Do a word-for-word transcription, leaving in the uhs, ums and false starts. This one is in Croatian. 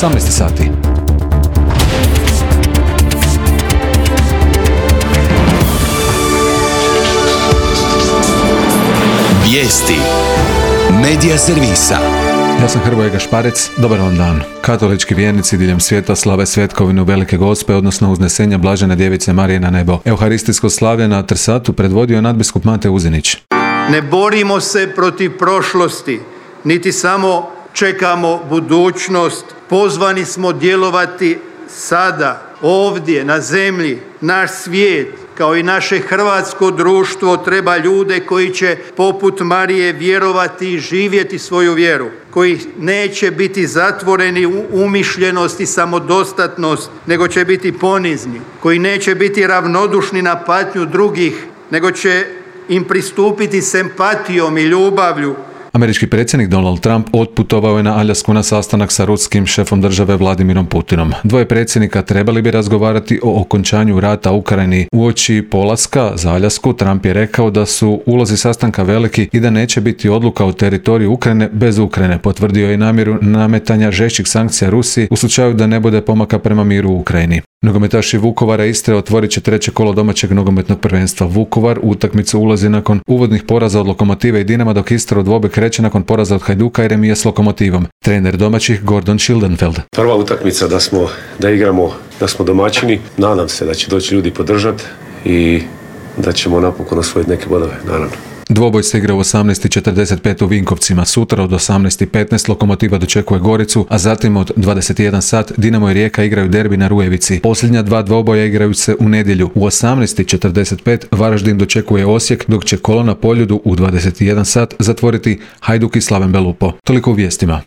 osamnaest sati. Vijesti Medija servisa. Ja sam Hrvoje Gašparec, dobar vam dan. Katolički vjernici diljem svijeta slave svetkovinu Velike Gospe, odnosno uznesenja Blažene Djevice Marije na nebo. Euharistijsko slavlje na Trsatu predvodio je nadbiskup Mate Uzinić. Ne borimo se protiv prošlosti, niti samo čekamo budućnost. Pozvani smo djelovati sada, ovdje, na zemlji. Naš svijet, kao i naše hrvatsko društvo, treba ljude koji će poput Marije vjerovati i živjeti svoju vjeru, koji neće biti zatvoreni u umišljenost i samodostatnost, nego će biti ponizni, koji neće biti ravnodušni na patnju drugih, nego će im pristupiti s empatijom i ljubavlju. Američki predsjednik Donald Trump otputovao je na Aljasku na sastanak sa ruskim šefom države Vladimirom Putinom. Dvoje predsjednika trebali bi razgovarati o okončanju rata u Ukrajini. Uoči polaska za Aljasku Trump je rekao da su ulozi sastanka veliki i da neće biti odluka o teritoriju Ukrajine bez Ukrajine. Potvrdio je namjeru nametanja žešćih sankcija Rusiji u slučaju da ne bude pomaka prema miru u Ukrajini. Nogometaši Vukovara Istre otvorit će treće kolo domaćeg nogometnog prvenstva. Vukovar u utakmicu ulazi nakon uvodnih poraza od Lokomotive i Dinama, dok Istra u dvoboj kreće nakon poraza od Hajduka i remija s Lokomotivom. Trener domaćih Gordon Schildenfeld. Prva utakmica da smo, da igramo, da smo domaćini. Nadam se da će doći ljudi podržati i da ćemo napokon osvojiti neke bodove, naravno. Dvoboj se igra u osamnaest četrdeset pet u Vinkovcima. Sutra od osamnaest petnaest Lokomotiva dočekuje Goricu, a zatim od dvadeset jedan sat Dinamo i Rijeka igraju derbi na Rujevici. Posljednja dva dvoboja igraju se u nedjelju. U osamnaest četrdeset pet Varaždin dočekuje Osijek, dok će kolo na Poljudu u dvadeset jedan sat zatvoriti Hajduk i Slaven Belupo. Toliko u vijestima.